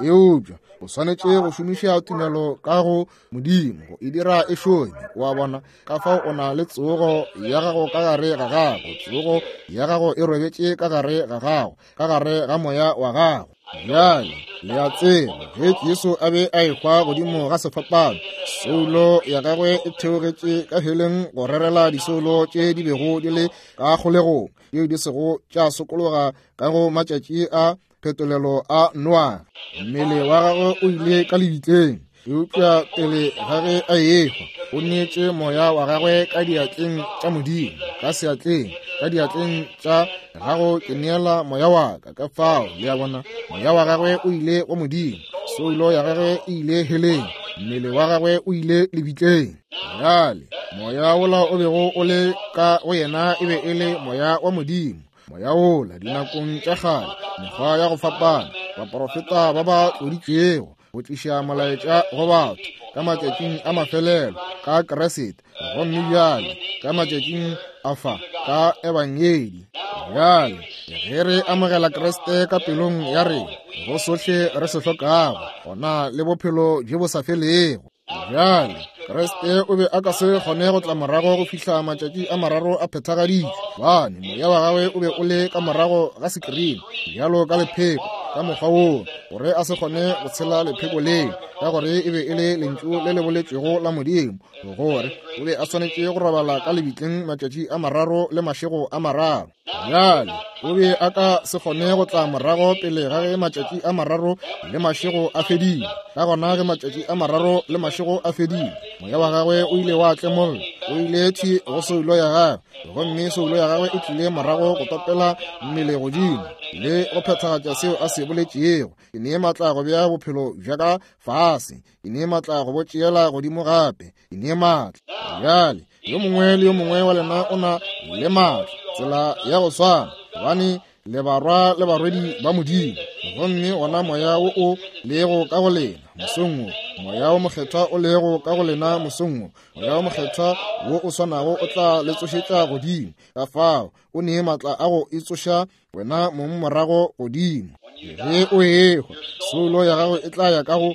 Eupša o swanetše go šomiša tumelo ka go Modimo go e dira e šome. O a bona? Ka fao o na le tsogo ya gago ka gare ga gago. Tsogo ya gago e robetše ka gare ga gago, ka gare ga moya wa gago. Bjale, le a tseba, ge Jesu a be a ehwa godimo ga sefapano, soulo ya gagwe e theogetše ka heleng go rerela disoulo tše di bego di le ka kgolegong, tšeo di sego tša sokologa ka go matšatši a phetolelo a Noa. Mmele wa gagwe o ile ka lebitleng, eupša pele ga ge a ehwa, o neetše moya wa gagwe ka diatleng tša Modimo, ka seatleng, ka diatleng tša gago ke neela moya wa ka. Ka fao, le a bona, moya wa gagwe o ile go Modimo, soulo ya gagwe e ile heleng, mmele wa gagwe o ile lebitleng. Bjale, moya wola o bego o le ka go yena e be e le moya wa Modimo. Moya wola dinakong tša kgale, mekgwa ya go fapana, baprofeta ba ba tloditšwego go tliša molaetša go batho ka matšatšing a mafelelo ka Kriste, gomme bjale ka matšatšing a fa ka Ebangedi. Bjale ge re amogela Kriste ka pelong ya rena, go sohle re se hlokago, gona le bophelo bjo bo sa felego. Bjale, Kriste o be a ka se kgone go tla morago go fihla matšatši a mararo a phethagaditšwe, gobane moya wa gagwe o be o le ka morago ga sekirini, bjalo ka lepheko, ka mokgwa woo, gore a se kgone go tshela lepheko leo, ka gore e be e le lentšu le le boletšwego la Modimo, gore o be a swanetše go robala ka lebitleng matšatši a mararo le mašego a mararo. Bjale, o be a ka se kgone go tla morago pele ga ge matšatši a mararo le mašego a fedile. Ka gona ge matšatši a mararo le mašego a fedile, moya wa gagwe o ile wa tlemolla, o ile thwi go soulo ya gagwe, gomme soulo ya gagwe e tlile morago go topela mmele godimo le go phethagatša seo a se boletšego. Ke nee matla go bea bophelo bja ka fase, ke nee matla go bo tšeela godimo gape, ke nee matla. Bjale, yo mongwe le yo mongwe wa lena o na le maatla tsela ya go swana, gobane le barwa le barwedi ba Modimo. Gomme wona moya wo o lego ka go lena mosong wo, moya wo mokgethwa o lego ka go lena mosong wo, moya wo mokgethwa wo o swanago o tla le tsošetša godimo. Ka fao o nee maatla a go itsoša wena mong morago godimo. Ge o ehwa, soulo ya gago e tla ya ka go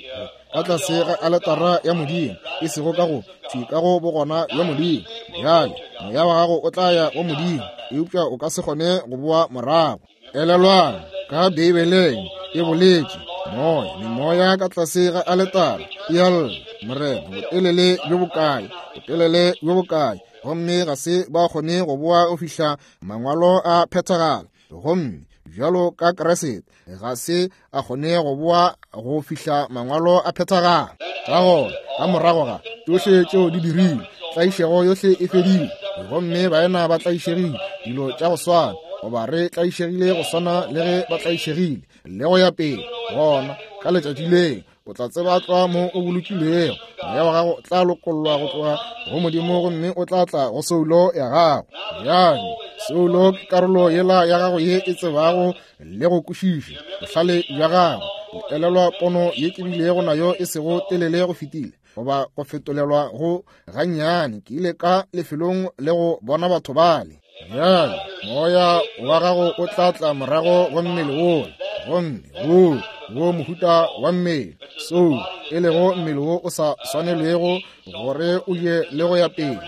ka tlase ga aletara ya Modimo, e sego ka go thwi ka go bogona bja Modimo. Bjale moya wa gago o tla ya go Modimo, eupša o ka se kgone go boa morago. Elelwang, ka Beibeleng e boletše, moya, memoya ka tlase ga aletara e a lla, Morena, botelele bjo bokae, botelele bjo bokae, gomme ga se ba kgone go boa go fihla Mangwalo a phethagala. Gomme bjalo ka Kriste ga se a kgone go boa go fihla Mangwalo a phethagala. Ka gona, ka morago ga tšohle tšeo di dirilwe, tlaišego yohle e fedile, gomme baena ba tlaišegile dilo tša go swana, goba re tlaišegile go swana le ge ba tlaišegile, le go ya pele. Gona ka letšatši leo o tla tseba tlwa mo o bolokilwego, moya wa gago o tla lokollwa go tloga go Modimo gomme o tla tla go soulo ya gago. Bjale, soulo ke karolo yela ya gago ye e tsebago le go kwešiša bohlale bja gago. Le elelwa pono ye ke bilego nayo e sego telele go fetile, goba go fetolelwa go gannyane, ke ile ka lefelong le go bona batho bale. Bjale, moya wa gago o tla tla morago go mmele wola, gomme wo, wo mohuta wa mmele, soul, e lego mmele wo o sa swanelwego gore o je le go ya pele.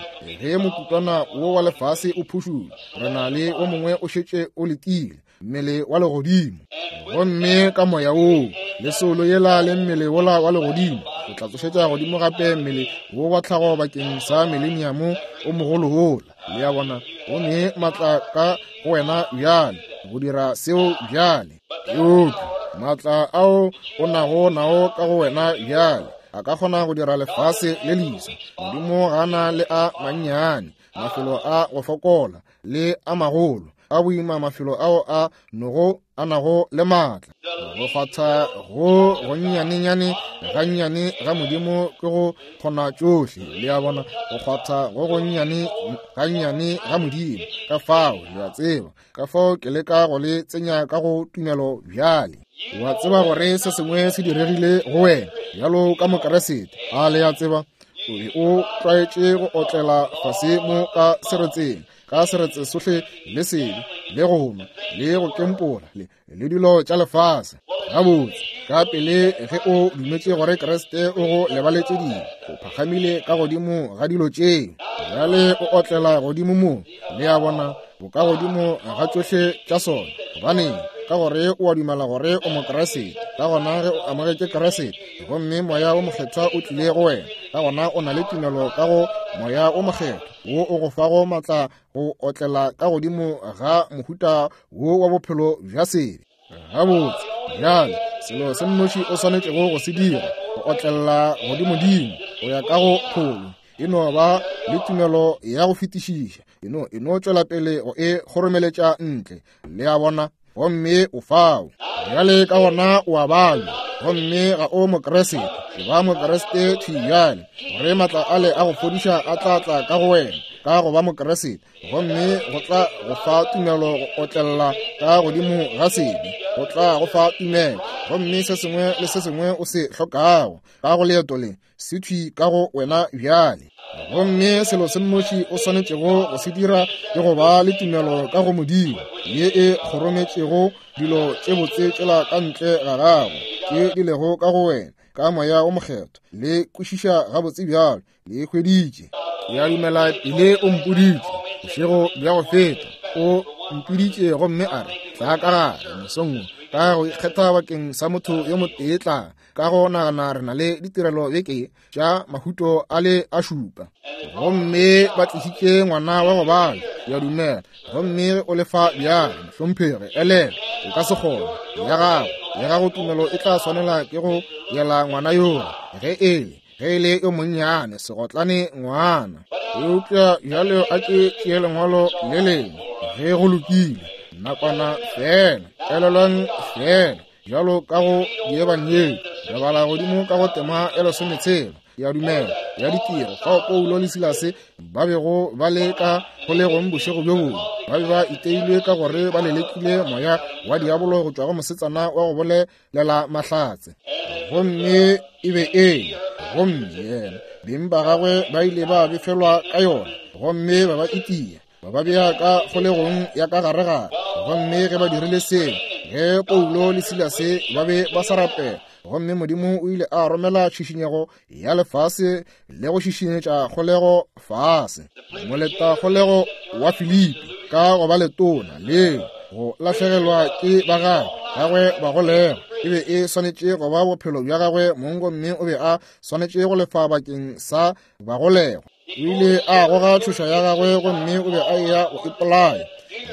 Ge mokutwana wo wa lefase o phušula, re na le wo mongwe o šetše o letile, mmele wa legodimo. Gomme ka moya woo le soulo yela le mmele wola wa legodimo, o tla tsošetša godimo gape mmele wo wa tlhago bakeng sa mileniamo o mogolo wola. Le a bona, o ne matla ka go wena bjale go dira seo bjale. Eupša matla ao o nago nao ka go wena bjale a ka kgona go dira lefase le leswa. Modimo ga na le a mannyane mafelo a go fokola le a magolo a boima, mafelo ao a nogo a nago le maatla. Go kgwatha go gonnyanenyane gannyane ga Modimo ke go kgona tšohle. Le a bona, go kgwatha go gonnyane gannyane ga Modimo. Ka fao, le a tseba, ka fao ke leka go le tsenya ka go tumelo bjale. Wa tseba gore se sengwe se diregile go wena bjalo ka Mokeresete. A le a tseba? O be o tlwaetše go otlela fase mo ka seretseng. ka seretse sohle le sebe le go nwa le go kempola le dilo tša lefase. Gabotse, ka pele ge o dumetše gore Kriste o go lebaletše dibe, o phakgamile ka godimo ga dilo tšeo. Bjale o otlela godimo mo, le a bona, bo ka godimo ga tšohle tša sona. Gobaneng? Ka gore o a dumela gore o Mokriste. Ka gona ge o amogetše Kriste, gomme Moya wo Mokgethwa o tlile go wena, ka gona o na le tumelo ka go Moya wo Mokgethwa wo o go fago maatla go otlela ka godimo ga mohuta wo wa bophelo bja sebe. Gabotse, bjale selo se nnoši o swanetšego go se dira go otlela godimodimo go ya ka go pholo, e no ba le tumelo ya go fetišiša, e no tšwela pele go e kgoromeletša ntle, le a bona, gomme o fao. Bjale ka gona o a balwa, gomme ga o Mokriste, e ba Mokriste thwi bjale, gore maatla ale a go fodiša a tla tla ka go wena ka go ba Mokriste, gomme go tla go fa tumelo go otlella ka godimo ga sebe, go tla go fa tumelo, gomme se sengwe le se sengwe o se hlokago ka go leeto le se thwi ka go wena bjale. Gomme selo se nnoši o swanetšego go se dira ke go ba le tumelo ka go Modimo ye e kgorometšego dilo tše botse tšela ka ntle ga gago tše di lego ka go wena ka Moya wo Mokgethwa. Le kwešiša gabotse bjalo, le e hweditše. Ke a dumela pele o mpoditše bošego bja go feta, o mpiditše gomme a re, Tla ka gare mosong wo, ka go ikgetha bakeng sa motho yo motee, tla ka go nagana re na le ditirelo beke tša mahuto a le a šupa. Gomme ba tlišitše ngwana wa go bala, ke a dumela, gomme o lefa bjale, mohlomphegi, elelwa, o ka se kgone. Ya gago, ya gago tumelo e tla swanela ke go yela ngwana yola, ge e le, ge e le yo monnyane, segotlane ngwana. Eupša bjale a ke tšee lengwalo le lengwe, ge go lokile, nakwana feela, elelwang feela, bjalo ka go Diebangedi, re bala godimo ka go tema ya lesometshela, ke a dumela, ya ditiro, fao Paulo le Silase ba bego ba le ka kgolegong bošego bjo bongwe. Ba be ba iteilwe ka gore ba lelekile moya wa diabolo go tšwa go mosetsana wa go bolelela mahlatse. Gomme e be e le, gomme yena, beng ba gagwe ba ile ba befelwa ka yona, gomme ba ba itia, ba ba bea ka kgolegong ya ka gare-gare. Gomme ge ba dirile seo, ge Paulo le Silase ba be ba sa rapela, gomme Modimo o ile a romela tšhišinyego ya lefase le go šišinyetša kgolego fase. Moleta kgolego wa Filipi ka go ba letona leo go lahlegelwa ke ba gagwe gagwe ba golegwa e be e swanetše go ba bophelo bja gagwe mong, gomme o be a swanetše go lefa bakeng sa bagolegwa. O ile a goga tšhoša ya gagwe gomme o be a eya go ipolaya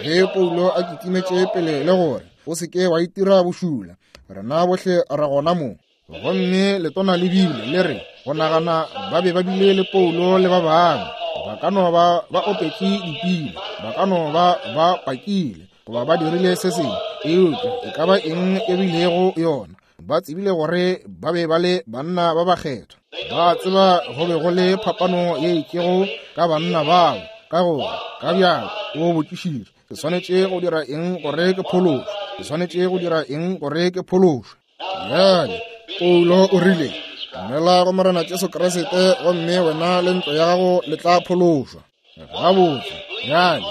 ge Paulo a kitimetše pele le gore, O se ke wa itira bošula, rena bohle re gona mo. Gomme letona le bile le re go nagana ba be ba bile le Paulo le ba bangwe, ba ka no ba ba opetše dipina, ba ka no ba ba pakile, goba ba dirile se sengwe, eupša e ka ba eng e bilego yona, ba tsebile gore ba be ba le banna ba bakgethwa. Ba tseba go be go le phapano ye itšego ka banna bao, ka gore ka bjako o botšišitše, Ke swanetše go dira eng gore ke phološwe? Ke swanetše go dira eng gore ke phološwe? Bjale Paulo o rile, Dumela go Morena Jesu Kriste, gomme wena le ntlo ya gago le tla phološwa. Gabotse, bjale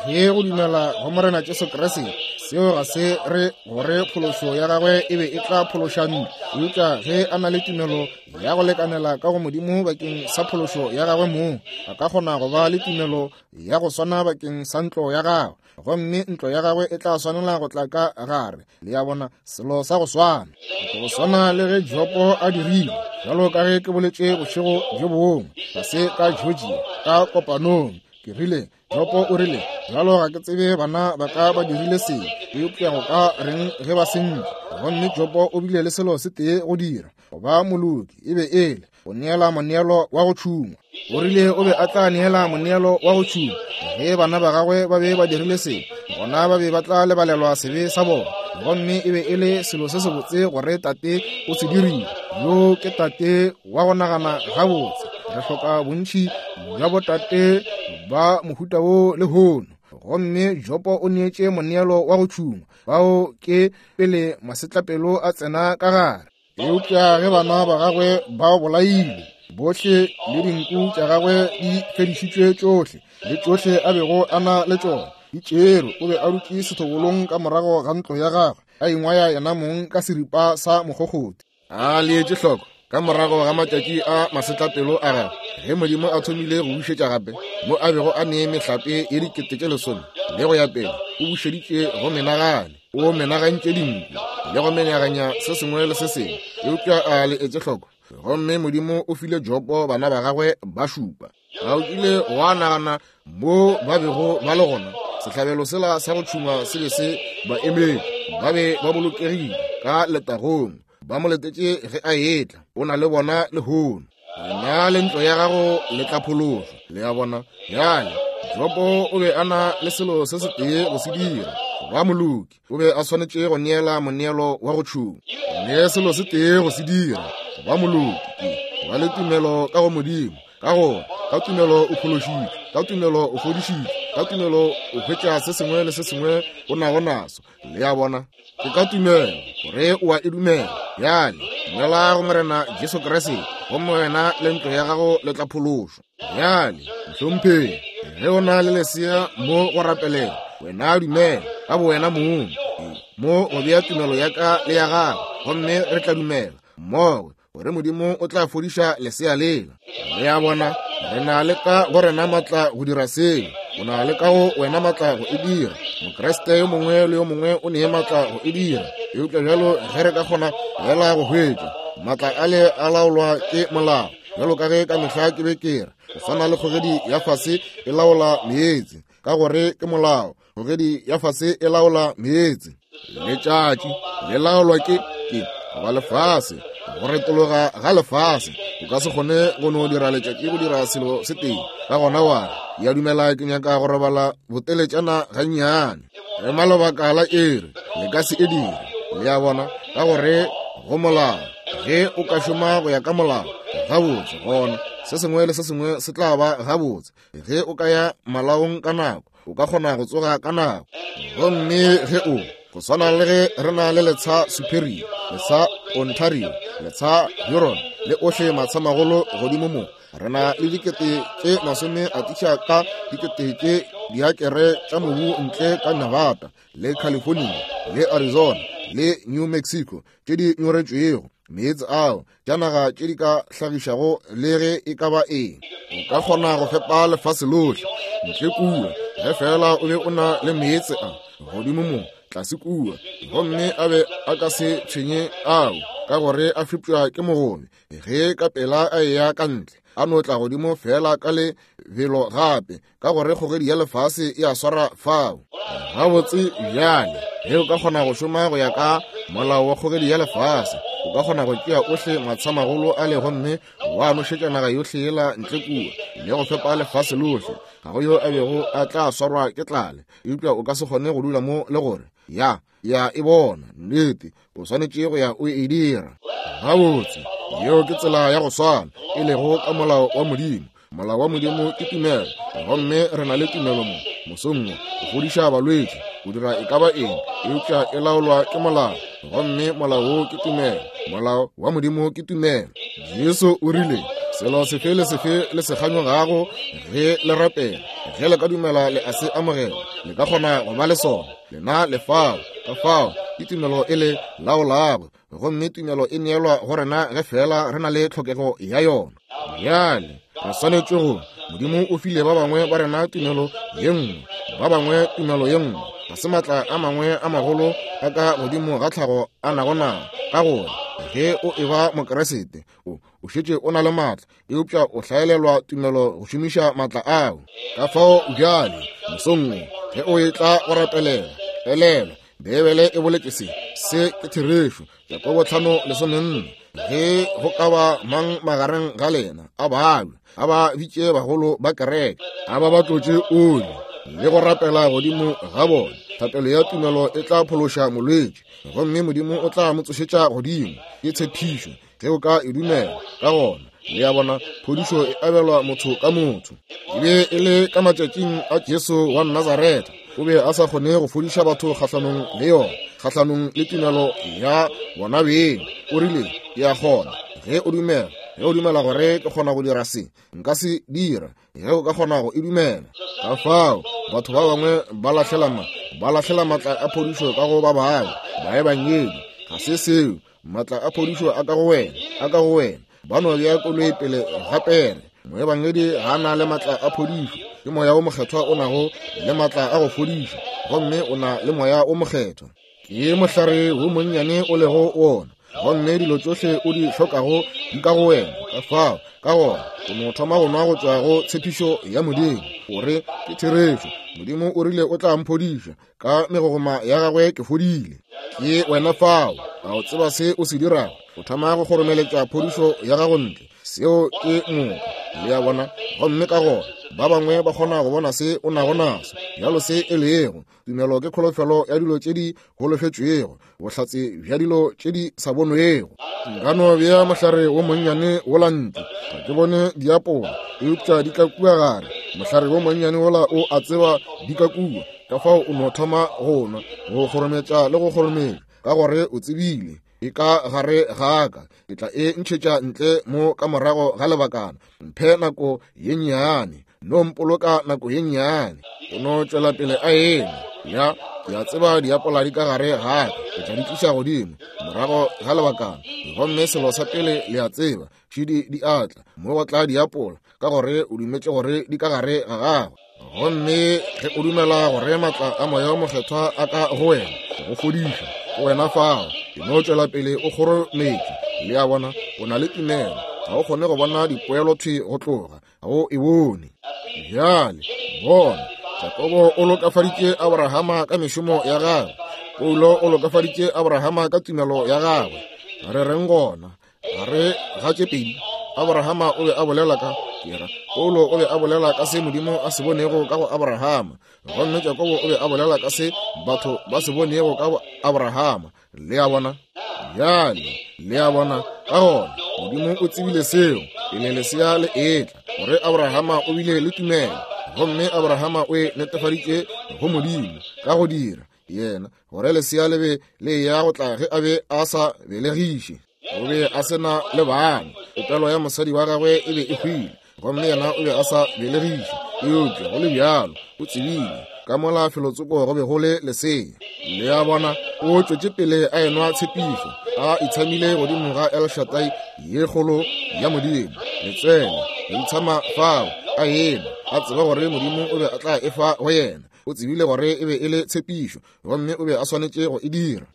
ge go dumela go Morena Jesu Kriste, seo ga se re gore phološo ya gagwe e be e tla phološa ntlo, eupša ge a na le tumelo ya go lekanela ka go Modimo bakeng sa phološo ya gagwe mong, a ka kgona go ba le tumelo ya go swana bakeng sa ntlo ya gagwe, gomme ntlo ya gagwe e tla swanela go tla ka gare. Le a bona, selo sa go swana, go swana le ge Jopo a dirile, bjalo ka ge ke boletše bošego bjo bongwe fase ka Georgia ka kopanong. Ke rile, Jopo o rile, bjalo ga ke tsebe bana ba ka ba dirile se, eupša go ka reng ge ba sentše? Gomme Jopo o bile le selo se tee go dira, go ba moloki, e be e le go neela moneelo wa go tšhungwa. O rile o be a tla neela moneelo wa go tšhungwa. Ge bana ba gagwe ba be ba dirile se, gona ba be ba tla lebalelwa sebe sa bona. Gomme e be e le selo se sebotse gore tate o se dirile. Yo ke tate wa go nagana gabotse. Re hloka bontši bja botate ba mohuta wo lehono. Gomme Jopo o neetše moneelo wa go tšhungwa. Bao ke pele masetlapelo a tsena ka gare. Eupša ge bana ba gagwe ba bolailwe, Bohle le dinku tša gagwe di fedišitšwe tšohle, le tšohle a bego a na le tšona di tšerwe. O be a dutše sethobolong ka morago ga ntlo ya gagwe, a ingwaya yena mong ka seripa sa mokgokgoti. A leetše hloko ka morago ga matšatši a masetlapelo a gagwe, ge Modimo a thomile go bušetša gape mo a bego a nee mehlape ye 10,000 le go ya pele, o bušeditše go menagane, o menagantše dinku le go menaganya se sengwe le se sengwe. Eupša a le etse hloko, gomme Modimo o file Jobo bana ba gagwe ba šupa. Ga o kile wa nagana mo ba bego ba le gona? Sehlabelo sela sa go tšhungwa se be se ba emetše. Ba be ba bolokegile ka letagong, ba mo letetše ge a etla. O na le bona lehono. Wena le ntlo ya gago le tla phološwa. Le a bona? Bjale, Jobo o be a na le selo se setee go se dira, go ba moloki. O be a swanetše go neela moneelo wa go tšhuma. Le selo se tee go se dira, go ba moloki, ke go ba le tumelo ka go Modimo. Ka gore ka tumelo o phološitšwe, ka tumelo o fodišitšwe, ka tumelo o hwetša se sengwe le se sengwe o nago naso. Le a bona? Ke ka tumelo gore o a e dumela. Bjale dumela go Morena Jesu Kriste, gomme wena le ntlo ya gago le tla phološwa. Bjale, mohlomphegi, ge o na le lesea mo go rapelela, wena dumela ka bowena mong mo go bea tumelo ya ka le ya gago, gomme re tla dumela mmogo gore Modimo o tla fodiša lesea lela. Le a bona, re na le ka go rena matla go dira seo. O na le ka go wena matla go e dira. Mokriste yo mongwe le yo mongwe o ne matla go e dira. Eupša bjalo ge re ka kgona fela go hwetša matla ale a laolwa ke molao, bjalo ka ge ka mehla ke be ke re, go swana le kgogedi ya fase e laola meetse, ka gore ke molao. Kgogedi ya fase e laola meetse. Letšatši le laolwa ke ke goba lefase, go retologa ga lefase. O ka se kgone go no dira letšatši go dira selo se tee. Ka gona wa re, ya dumela ke nyaka go robala boteletšana gannyane. Ema lebaka la iri, le ka se e dire. Le a bona, ka gore go molao. Ge o ka šoma go ya ka molao gabotse, gona se sengwe le se sengwe se tla ba gabotse. Ge o ka ya malaong ka nako, o ka kgona go tsoga ka nako. Gomme ge o, go swana le ge re na le letsha Superior, letsha Ontario, letsha Huron, le ohle matshamagolo godimo mo, re na le dikete tše masome a tiša ka dikete tše diakere tša mobu ntle ka Nevada le California le Arizona le New Mexico tše di nyoretšwego meetse ao tša naga tše di ka hlagišago le ge e ka ba eng. O ka kgona go fepa lefase lohle ntle kua ge fela o be o na le meetse a godimo mo tlase kua, gomme a be a ka se tshwenye ao ka gore a fepša ke mogobe. Ge ka pela a eya ka ntle, a no tla godimo fela ka lebelo gape, ka gore kgogedi ya lefase e a swara fao. Gabotse bjale, ge o ka kgona go šoma go ya ka molao wa kgogedi ya lefase, o ka kgona go tšea ohle matshamagolo a le gomme wa nošetša naga yohle yela ntle kua le go fepa lefase lohle. Ga go yo a bego a tla swarwa ke tlale, eupša o ka se kgone go dula mo le gore ya ya e bona nnete, o swanetše go ya o e dira. Gabotse, yeo ke tsela ya go swana e lego ka molao wa Modimo. Molao wa Modimo ke tumelo, gomme re na le tumelo mo mosong wo go fodiša balwetši, go dira e ka ba eng, eupša e laolwa ke molao, gomme molao wo ke tumelo. Molao wa Modimo ke tumelo. Jesu o rile, selo sefe le sefe le se kganyogago ge le rapela, ge le ka dumela le a se amogela, le ka kgona go ba le sona. Lena le fao. Ka fao ke tumelo e le laolago, gomme tumelo e neelwa go rena ge fela re na le tlhokego ya yona. Bjale re swanetše go, Modimo o file ba bangwe ba rena tumelo ye nngwe, ba bangwe tumelo ye nngwe. Ga se maatla a mangwe a magolo a ka godimo ga tlhago a nago nao, ka gore ge o eba Mokeresete o o šetše o na le maatla, eupša o hlaelelwa tumelo go šomiša maatla ao. Ka fao bjale mosong wo ge o etla go rapelela, elelwa Beibele e boletše se, se ke therešo. Jakobo 5:14, ge go ka ba mang magareng ga lena a babja, a ba bitše bagolo ba kereke, a ba ba tlotše oli le go rapela godimo ga bona. Thapelo ya tumelo e tla phološa molwetši, gomme Modimo o tla mo tsošetša godimo. Ke tshepišo, ge o ka e dumela. Ka gona, le a bona, phodišo e abelwa motho ka motho. E be e le ka matšatšing a Jesu wa Nazaretha, o be a sa kgone go fodiša batho kgahlanong le yona, kgahlanong le tumelo ya bona beng. O rile, Ke a kgona, ge o dumela. Ge o dumela gore ke kgona go dira se, nka se dira. Ge o ka kgona go e dumela. Ka fao, batho ba bangwe ba lahlela ma, ba lahlela matla a phodišo ka go ba bangwe, baebangedi. Ga se seo. Matla a phodišo a ka go wena, a ka go wena. Ba no bea koloi pele ga pere. Moebangedi ga a na le matla a phodišo. Ke Moya wo Mokgethwa o nago le matla a go fodiša, gomme o na le Moya wo Mokgethwa. Ke mohlare wo monnyane o lego wona, gomme dilo tšohle o di hlokago di ka go wena. Ka fao, ka gona, o no thoma go nwa go tšwa go tshepišo ya Modimo, gore ke therešo. Modimo o rile o tla mphodiša, ka megogoma ya gagwe ke fodile. Ke wena fao. A o tseba se o se dirago? O thoma go kgoromeletša phodišo ya gago ntle. Seo ke moka. Le a bona? Gomme ka gona ba bangwe ba kgona go bona se o nago naso, bjalo se e lego. Tumelo ke kholofelo ya dilo tše di holofetšwego, bohlatse bja dilo tše di sa bonwego. Nka no bea mohlare wo monnyane wola ntle, ga ke bone diapola, eupša di tla kua gare. Mohlare wo monnyane wola o a tseba di ka kua, ka fao o no thoma go nwa, go kgorometša le go kgorometša, ka gore o tsebile e ka gare ga ka. Ke tla e ntšhetša ntle mo ka morago ga lebakana. Mphe nako ye nnyane, no mpoloka nako ye nnyane. O no tšwela pele a eme. Ya, ke a tseba diapola di ka gare ga ka, ke tla di tliša godimo morago ga lebakana. Gomme selo sa pele le a tseba, šidi di a tla, mo go tla diapola, ka gore o dumetše gore di ka gare ga gagwe. Gomme ge o dumela gore matla a Moya wo Mokgethwa a ka go wena go fodiša, go wena fao, e no tšwela pele o kgorometše. Le a bona, o na le tumelo. Ga o kgone go bona dipoelo thwi go tloga, ga o e bone. Bjale, bona, Jakobo o lokafaditše Abrahama ka mešomo ya gagwe. Paulo o lokafaditše Abrahama ka tumelo ya gagwe. Re reng gona? Gare ga tše pedi, Abrahama o be a bolela ka, ke ra, Paulo o be a bolela ka se Modimo a se bonego ka go Abrahama, gomme Jakobo o be a bolela ka se batho ba se bonego ka go Abrahama. Le a bona? Bjale, le a bona, ka gona, Modimo o tsebile seo pele lesea le etla, gore Abrahama o bile le tumelo, gomme Abrahama o e netefaditše go Modimo ka go dira yena gore lesea le be le eya go tla ge a be a sa belegiše. O be a se na le bana, popelo ya mosadi wa gagwe e be e hwile, gomme yena o be a sa belegiše. Eupša go le bjalo o tsebile ka mola felotsoko go be go le lesea. Le a bona, o tšwetše pele a enwa tshepišo, a itshamile godimo ga El Shaddai ye kgolo ya Modimo, letswele go itshama fao, a enwa, a tseba gore Modimo o be a tla e fa go yena. O tsebile gore e be e le tshepišo, gomme o be a swanetše go e dira.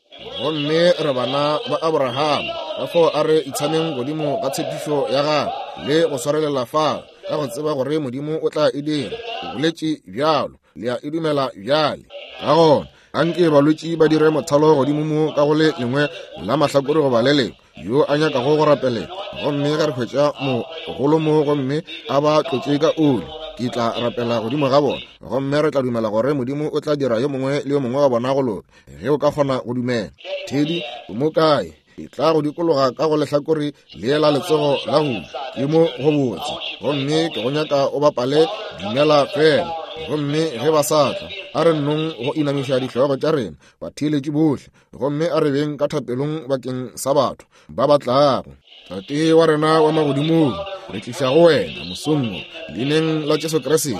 Gomme re bana ba Abrahama, ka fao a re itshameng godimo ga tshepišo ya gagwe le go swarelela fao, ka go tseba gore Modimo o tla e dira. O boletše bjalo, le a e dumela bjale. Ka gona, anke balwetši ba dire mothalo godimo mo ka go le lengwe la mahlakore goba le lengwe, yo a nyakago go rapelela. Gomme ge re hwetša mogolo mo gomme a ba tlotše ka oli, ke tla rapela godimo ga bona, gomme re tla dumela gore Modimo o tla dira yo mongwe le yo mongwe wa bona go loka. Ge o ka kgona go dumela. Thedi, o mo kae? E tla go dikologa ka go lehlakore le la letsogo la go ja. Ke mo go botse. Gomme ke go nyaka o bapale Dumela Fela. Gomme ge ba sa tla, a re nnong go inamiša dihlogo tša rena, batheeletši bohle, gomme a re beng ka thapelong bakeng sa batho ba ba tlago. Tate wa rena wa magodimong, re tliša go wena mosong wo, leineng la Jesu Kriste,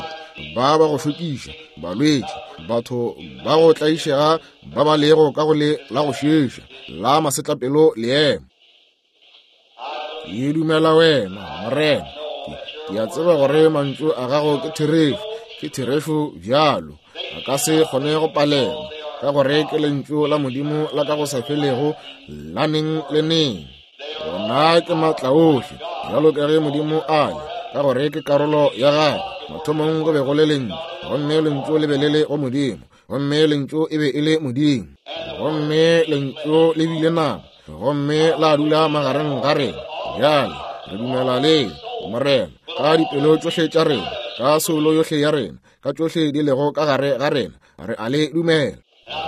ba ba go šokiša, balwetši, batho ba go tlaišega ba ba lego ka go le la go šeša la masetlapelo leemo. Ke dumela wena, Morena. Ke a tseba gore mantšu a gago ke therešo, ke therešo bjalo. A ka se kgone go palelwa, ka gore ke lentšu la Modimo la ka go sa felego la neng le neng. Ona ke maatla ohle, bjalo ka ge Modimo a le, ka gore ke karolo ya gagwe. Mathomong go be go le lentšu, gomme lentšu le be le le go Modimo, gomme lentšu e be e le Modimo. Gomme lentšu le bile nama, gomme la dula magareng ga rena. Bjale re dumela le Morena ka dipelo tšohle tša rena, ka soulo yohle ya rena, ka tšohle di lego ka gare ga rena, re a le dumela.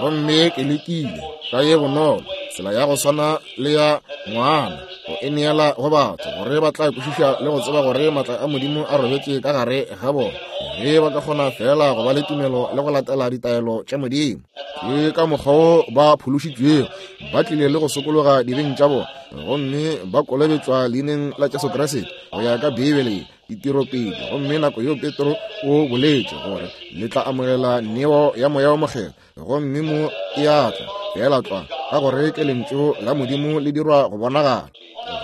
Gomme ke lekile ka ye bonolo tsela ya go swana le ya ngwana go e neela go batho gore ba tla kwešiša le go tseba gore matla a Modimo a robetše ka gare ga bona, ge ba ka kgona feela go ba le tumelo le go latela ditaelo tša Modimo. Ke ka mokgwa wo ba phološitšwego, ba tlile le go sokologa dibeng tša bona. gomme ba kolobetšwa leineng la Jesu Kriste go ya ka Beibele ye, ditiro pedi. Gomme nako yeo Petro o boletše gore le tla amogela neo ya Moya wo Mokgethwa, gomme mo e a tla feela tlwa, ka gore ke Lentšu la Modimo le dirwa go bonagala.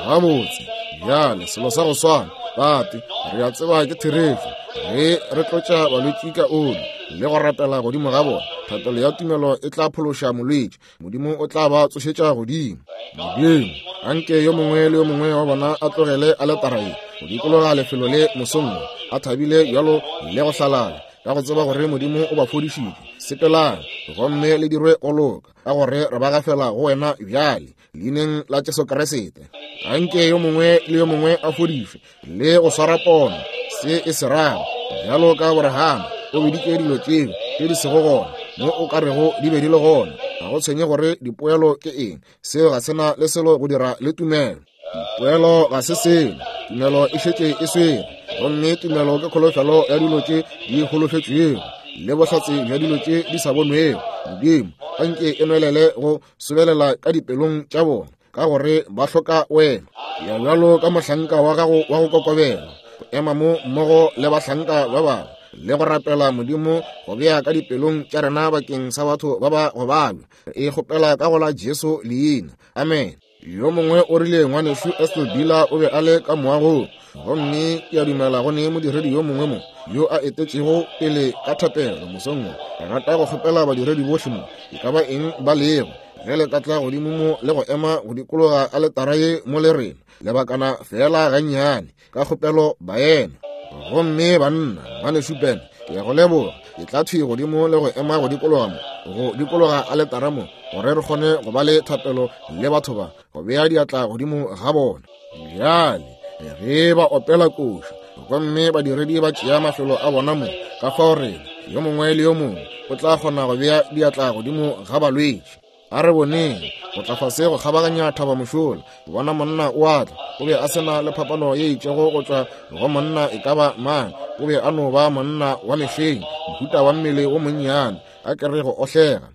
Gabotse, bjale selo sa go swana, Tate, re a tseba ke therešo. Ge re tlotša balwetši ka oli le go rapela godimo ga bona, thapelo ya tumelo e tla phološa molwetši, Modimo o tla ba tsošetša godimo. Modimo, anke yo mongwe le yo mongwe wa bona a tlogele aletara ye go dikologa lefelo le mosong wo, a thabile bjalo le go hlalala, ka go tseba gore Modimo o ba fodišitše. Sepelang gomme le dirwe go loka, ka gore re ba gafela go wena bjale, leineng la Jesu Kriste. Anke yo mongwe le yo mongwe a fodišwe le go swara pono se e se rago, bjalo ka Abraham o biditše dilo tšeo tše di sego gona mo o ka rego di be di le gona. Ga go tshwenye gore dipoelo ke eng, seo ga se na le selo go dira le tumelo. Dipoelo ga se selo, tumelo e šetše e swere, gomme tumelo ke kholofelo ya dilo tše di holofetšwego le bohlatse bja dilo tše di sa bonwego. Modimo, anke e nwelele go sobelela ka dipelong tša bona, ka gore ba hloka wena. Ya bjalo ka mohlanka wa gago wa go kokobela, go ema mo mmogo le bahlanka ba bangwe le go rapela Modimo go bea ka dipelong tša rena bakeng sa batho ba ba go babja. Re e kgopela ka go la Jesu leina. Amen. Yo mongwe o rile ngwanešu Estel Bila o be a le ka moagong, gomme ke a dumela go ne modiredi yo mongwe mo yo a etetšego pele ka thapelo mosong wo. Re rata go kgopela badiredi bohle mo, e ka ba eng ba lego, ge le ka tla godimo mo le go ema go dikologa aletara ye mo le rena lebakana feela gannyane, ka kgopelo baena. Gomme banna, ngwanešu Ben, ke a go leboga. Ke tla thwi godimo le go ema go dikologa mo, go dikologa aletara mo, gore re kgone go ba le thapelo le batho ba, go bea diatla godimo ga bona. Bjale, ge ba opela koša, gomme badiredi ba tšea mafelo a bona mo, ka fao rena, yo mongwe le yo mongwe, o tla kgona go bea diatla godimo ga balwetši. A re boneng, go tla fase go kgabaganya thaba mošola, ke bona monna o a tla. O be a se na le phapano ye itšego go tšwa go monna e ka ba mang. O be a no ba monna wa mehleng, mohuta wa mmele wo monnyane, a ke re go ohlega.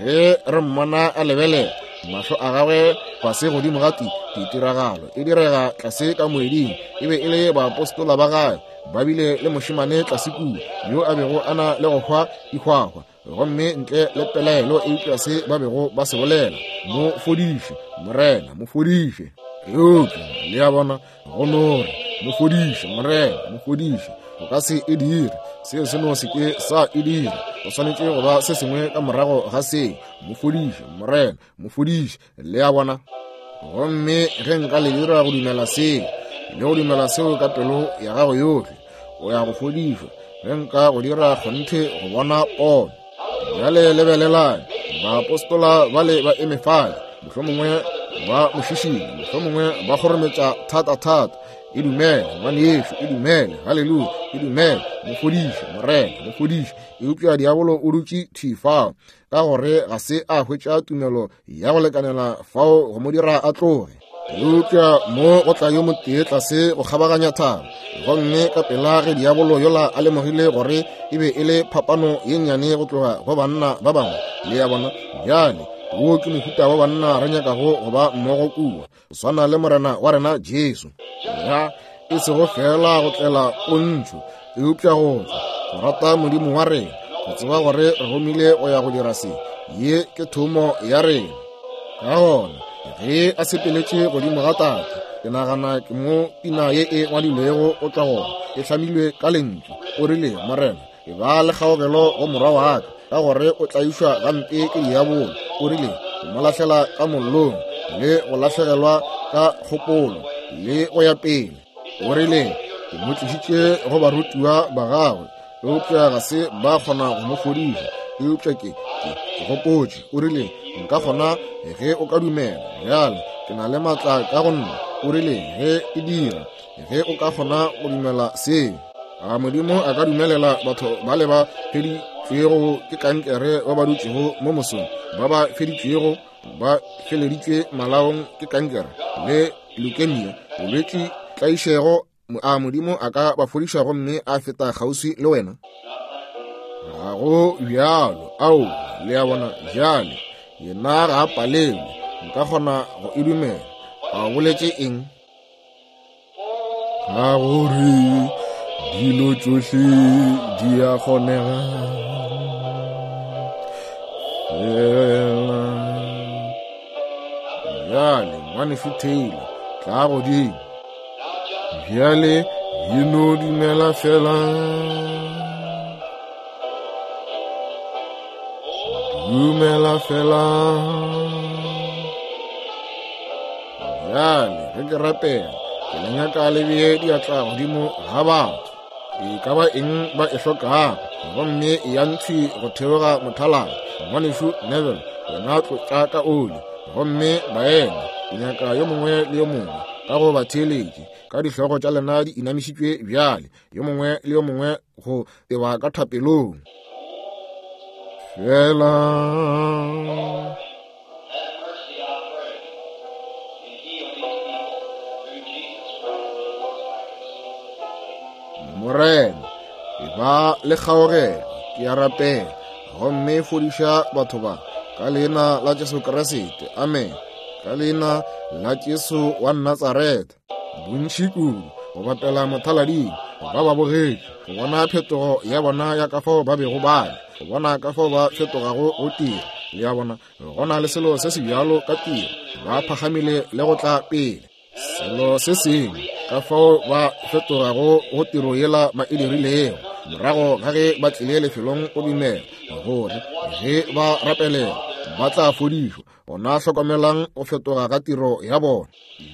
Ge re mmona a lebelela, mahlo a gagwe fase godimo ga ti, ditiragalo e direga tlase ka moeding, e be e le baapostola ba gagwe ba bile le mošemane tlase kua yo a bego a na le go hwa dihwahwa, gomme ntle le pelaelo eupša se ba bego ba se bolela, mo fodiše, Morena, mo fodiše. Eupša le a bona, go no re, mo fodiše, Morena, mo fodiše, o ka se e dire. Seo se no se ke sa e dira. Go swanetše go ba se sengwe ka morago ga seo. Mo fodiše, Morena, mo fodiše. Le a bona? Gomme ge nka le dira go dumela seo, le go dumela seo ka pelo ya gago yohle, o ya go fodišwa. Ge nka go dira kgonthe go bona pono. Bjale lebelelang, baapostola bale ba eme fale, mohlomongwe ba mo šišinya, mohlomongwe ba kgorometša thata-thata. E dumele, ngwanešu, e dumele, haleluya, e dumele, mo fodiše, Morena, mo fodiše. Eupša diabolo o dutše thwi fao, ka gore ga se a hwetša tumelo ya go lekanela fao go mo dira a tloge. Eupša mo go tla yo motee tlase go kgabaganya thaba, gomme ka pela ge diabolo yola a lemogile gore e be e le phapano ye nnyane go tloga go banna ba bangwe, le a bona, bjale wo ke mohuta wa banna re nyakago go ba mmogo kua, go swana le Morena wa rena Jesu. Ya, e sego feela go tlela pontšho, eupša go tla go rata Modimo wa rena, go tseba gore re romile go ya go dira se. Ye ke thomo ya rena. Ka gona, ge a sepeletše godimo ga tate, ke nagana ke mo pina ye e ngwadilwego go tšwa gona, e hlamilwe ka lentšu. O rile, Morena, e ba le kgaogelo go morwa wa ka, ka gore o tlaišwa gampe ke diabolo. O rile, o mo lahlela ka mollong le go lahlegelwa ka kgopolo le go ya pele. O rile, ke mo tlišitše go barutiwa ba gagwe, eupša ga se ba kgona go mo fodiša. Eupša ke, ke, ke gopotše, o rile, nka kgona ge o ka dumela. Bjale, ke na le maatla ka go nna. O rile, ge e dira, ge o ka kgona go dumela seo. A Modimo a ka dumelela batho ba le ba feditšwego ke kankere ba ba dutšego mo mosong, ba ba feditšwego, ba feleditšwe malaong ke kankere le leukemia, bolwetši, tlaišego, a Modimo a ka ba fodiša gomme a feta kgauswi le wena? Ga go bjalo. Ao, le a bona, bjale, yena ga a palelwe. Nka kgona go e dumela. A o boletše eng? Ka gore dilo tšohle di a kgonega fela. Bjale, Ngwanešu Taylor, tla godimo. Bjale, e no dumela fela. Dumela fela. Bjale, ge ke rapela, ke le nyaka le bee diatla godimo ga batho. E ka ba eng ba e hlokago, gomme e ya nthwi go theoga mothaladi. Ngwanešu Neville, wena tlotša ka oli. Gomme baena, ke nyaka yo mongwe le yo mongwe ka go ba theeletše, ka dihlogo tša lena di inamišitšwe bjale, yo mongwe le yo mongwe go teba ka thapelong. Fela. Morena, e ba le kgaogelo, ke a rapela, gomme fodiša batho ba ka leina la Jesu Kriste. Amen. Ka leina la Jesu wa Natsaretha. Bontši kudu go bapela mothalading, ba ba bogetše, go bona phetogo ya bona ya ka fao ba bego ba le, go bona ka fao ba fetogago go tiro. Le a bona, go na le selo se se bjalo ka tiro, ba phagamile le go tla pele. Selo se sengwe, ka fao ba fetogago go tiro yela ba e dirilego, morago ga ge ba tlile lefelong go dumela gore ge ba rapelela ba tla fodišwa. Gona hlokomelang go fetoga ga tiro ya bona.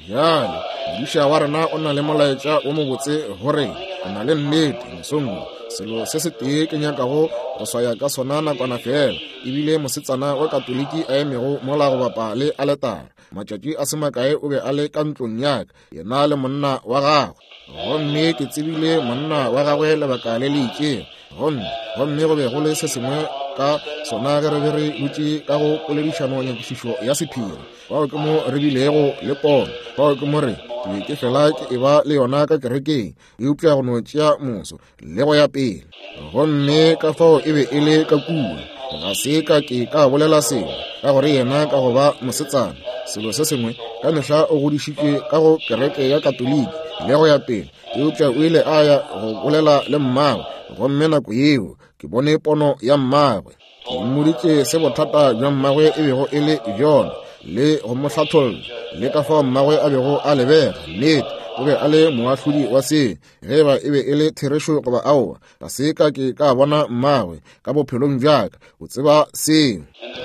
Bjale, modiša wa rena o na le molaetša wo mobotse go rena. O na le nnete mosong wo. Selo se setee ke nyakago go swaya ka sona nakwana feela, ebile mosetsana wa Katoliki a emego mola go bapa le aletara. Matšatši a se makae o be a le ka ntlong ya ka, yena le monna wa gagwe. Gomme ke tsebile monna wa gagwe lebaka le le itšego. Gomme, gomme go be go le se sengwe ka sona ge re be re dutše ka go poledišano nyakišišo ya sephiri. Fao ke mo re bilego le pono. Fao ke mo re, ke be ke fela ke eba le yona ka kerekeng, eupša go no tšea moso le go ya pele. Gomme ka fao e be e le ka kua. Ga se ka ke ka bolela selo, ka gore yena ka go ba mosetsana, selo se sengwe, ka mehla o godišitšwe ka go kereke ya Katoliki le go ya pele, eupša o ile a ya go bolela le mmagwe, gomme nako yeo ke bone pono ya mmagwe. Ke mmoditše se bothata bja mmagwe e bego e le bjona, le go mo hlatholla, le ka fao mmagwe a bego a lebega. Nnete, o be a le moahlodi wa se, ge eba e be e le therešo goba aowa. Ga se ka ke ka bona mmagwe ka bophelong bja ka, o tseba seo.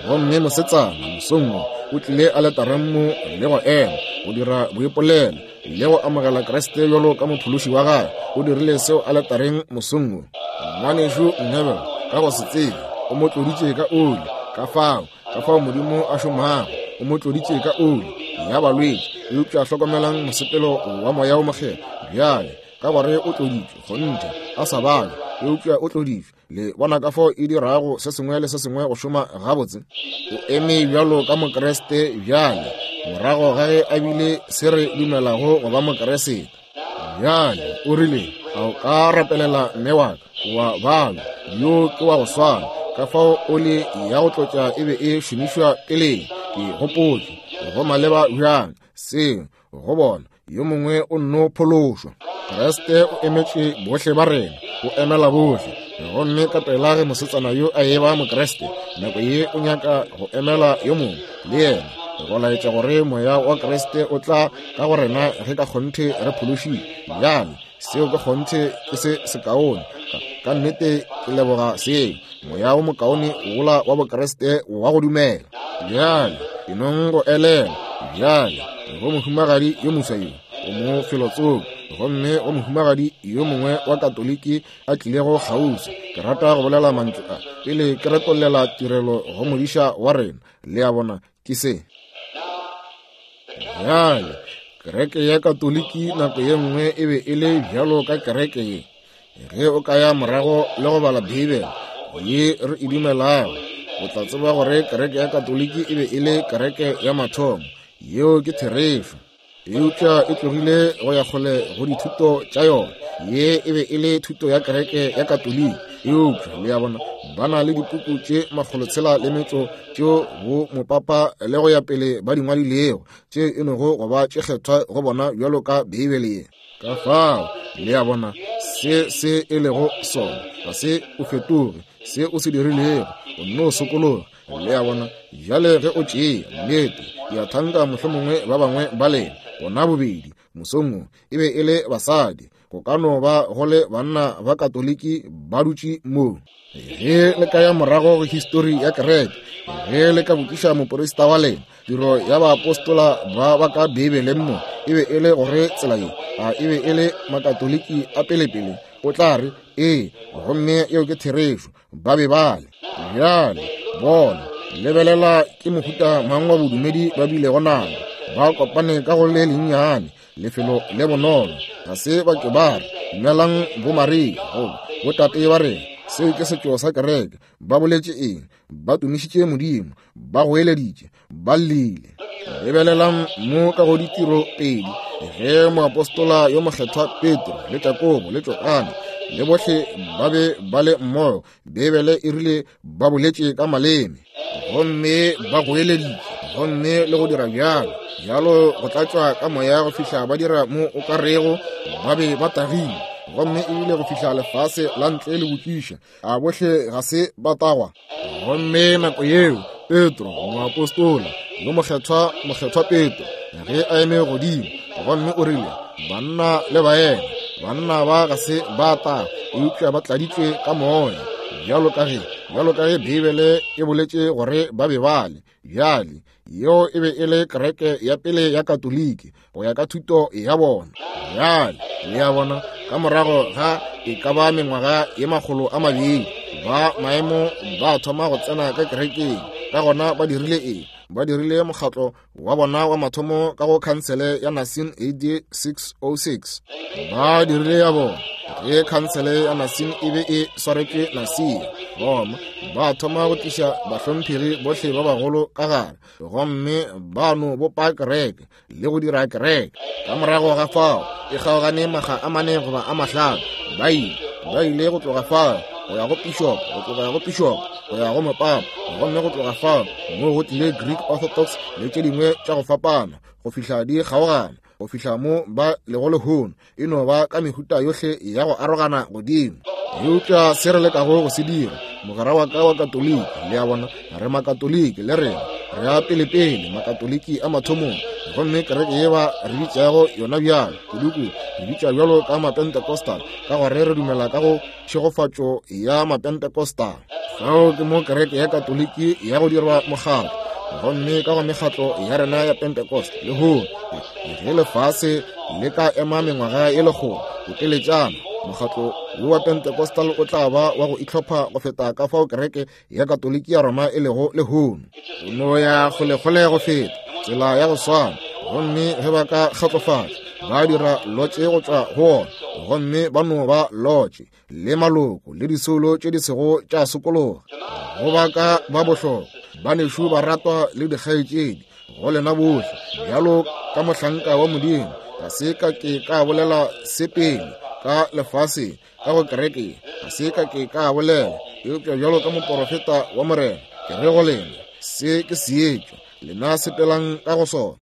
Gomme mosetsana mosong wo o tlile aletareng mo le go ema go dira boipolelo le go amogela Kriste bjalo ka mophološi wa gagwe. O dirile seo aletareng mosong wo. Ngwanešu Neville, ka go se tsebe, o mo tloditše ka oli. Ka fao, ka fao Modimo a šomago, o mo tloditše ka oli ya balwetši. Eupša hlokomelang mosepelo wa Moya wo Mokgethwa bjale, ka gore o tloditšwe, kgonthe, a sa balwe, eupša o tloditšwe. Le bona ka fao e dirago se sengwe le se sengwe go šoma gabotse? O eme bjalo ka Mokriste bjale, morago ga ge a bile se re dumelago go ba Mokriste. Bjale, o rile, a o ka rapelela mme wa ka? Wa balwa, yo ke wa go swana. Ka fao oli ya go tlotša e be e šomišwa peleng. Ke gopotše, go maleba bjang seo go bona yo mongwe o nno phološwa. Kriste o emetše bohle ba rena, o emela bohle. Gomme ka pela ge mosetsana yo a eba Mokriste, nako ye o nyaka go emela yo mongwe le yena, go laetša gore Moya wa Kriste o tla ka go rena ge ka kgonthe re phološile. Bjale, seo ka kgonthe ke se sekaone. Ka nnete ke leboga seo, Moya wo mokaone wola wa Bokriste wa go dumela. Bjale, ke nong go elela bjale go mohumagadi yo moswa yo o mo felotsoko, gomme go mohumagadi yo mongwe wa Katoliki a tlilego kgauswi. Ke rata go bolela mantšu a pele ke retollela tirelo go modiša wa rena. Le a bona, ke se. Bjale, kereke ya Katoliki nako ye nngwe e be e le bjalo ka kereke ye. Ge o ka ya morago le go bala Beibele ye re e dumelago, o tla tseba gore kereke ya Katoliki e be e le kereke ya mathomo. Yeo ke therešo. Eupša e tlogile go ya kgole go dithuto tša yona. Ye e be e le thuto ya kereke ya Katoliki. Eupša, le a bona, Ba na le dipuku tše makgolotshela le metšo tšeo bo mopapa le go ya pele ba di ngwadilego, tše e nogo go ba tše kgethwa go bona bjalo ka Beibele ye. Ka fao, le a bona, se se e lego sona, ga se o fetoge, se o se dirilego, o nno sokologa. Le a bona, bjale ge o tšea, nnete, ke a thanka mohlomongwe ba bangwe ba lena, bona bobedi, mosong wo, e be e le basadi, go ka no ba go le banna ba Katoliki ba dutše mo. Ge le ka ya morago go histori ya kereke, ge le ka botšiša moporista wa lena, tiro ya baapostola ba ba ka Beibeleng mo e be e le gore tsela ye, a e be e le Makatoliki a pelepele, o tla re, Ee, gomme yeo ke therešo, ba be ba le. Bjale, bona, lebelela ke mohuta mang wa bodumedi ba bilego nabo. Ba kopane ka go le lennyane, lefelo le bonolo. Ga se ba ke ba re, Dumelang bo Maria, goba botate ba rena. Seo ke setšo sa kereke. Ba boletše eng? Ba tumišitše Modimo, ba goeleditše, ba llile. Lebelelang mo ka go ditiro pedi, ge moapostola yo mokgethwa Petro le Jakobo le Johane le bohle ba be ba le mmogo, Beibele e rile ba boletše ka maleme gomme ba goeleditše gomme le go dira bjalo bjalo go tlatšwa ka moya go fihla ba dira mo o ka rego ba be ba tagile, gomme ebile go fihla lefase la ntle le botšiša, a bohle ga se ba tagwa? Gomme nako yeo Petro moapostola yo mokgethwa, mokgethwa Petro, ge a eme godimo gomme o rile, banna le baena, banna ba ga se ba tagwa, eupša ba tladitšwe ka moya, bjalo ka ge, bjalo ka ge Beibele e boletše gore ba be ba le. Bjale, yeo e be e le kereke ya pele ya Katoliki go ya ka thuto ya bona. Bjale, le a bona, ka morago ga e ka ba mengwaga ye 200, ba maemo ba thoma go tsena ka kerekeng. Ka gona ba dirile eng? Ba dirile mokgatlo wa bona wa mathomo ka go khansele ya Nicene AD 606. Ba dirile ya bona ge khansele ya Nicene e be e swaretšwe Nicaea, Roma. Ba thoma go tliša bahlomphegi bohle ba bagolo ka gare, gomme ba no bopa kereke le go dira kereke. Ka morago ga fao e kgaogane makga a mane goba a mahlano. Ba ile, ba ile go tloga fao go ya go pišopo, go tloga go pišopo go ya go mopapa, gomme go tloga fao mo go tlile Greek Orthodox le tše dingwe tša go fapana, go fihla di kgaogana, go fihla mo ba lego lehono, e no ba ka mehuta yohle ya go arogana godimo. Eupša se re lekago go se dira, mogwera wa ka wa Katoliki, le a bona, re Makatoliki le rena, re a pelepele, Makatoliki a mathomong, gomme kereke ye ba re bitšago yona bjalo, kudukudu, re bitša bjalo ka Mapentecostal, ka gore re dumela ka go tšhegofatšo ya Mapentecostal. Fao ke mo kereke ya Katoliki ya go dirwa mokgatlo, gomme ka go mekgatlo ya rena ya Pentecost lehono, ge lefase le ka ema mengwaga ye lekgolo boteletšana, mokgatlo wo wa Pentecostal o tla ba wa go itlhopha go feta ka fao kereke ya Katoliki ya Roma e lego lehono. O no ya kgolekgole go feta tsela ya go swana, gomme ge ba ka kgatlofatša ba dira lotše go tšwa go wona, gomme ba no ba lotše le maloko le disoulo tše di sego tša sokologa. Go ba ka ba bohlokwa, banešu ba ratwa le dikgaetšedi, go lena bohle, bjalo ka mohlanka wa Modimo, ga se ka ke ka bolela se pele ka lefaseng, ka go kereke, ga se ka ke ka bolela, eupša bjalo ka moporofeta wa Morena, ke re go lena, se ke seetša, lena sepelang ka go sona.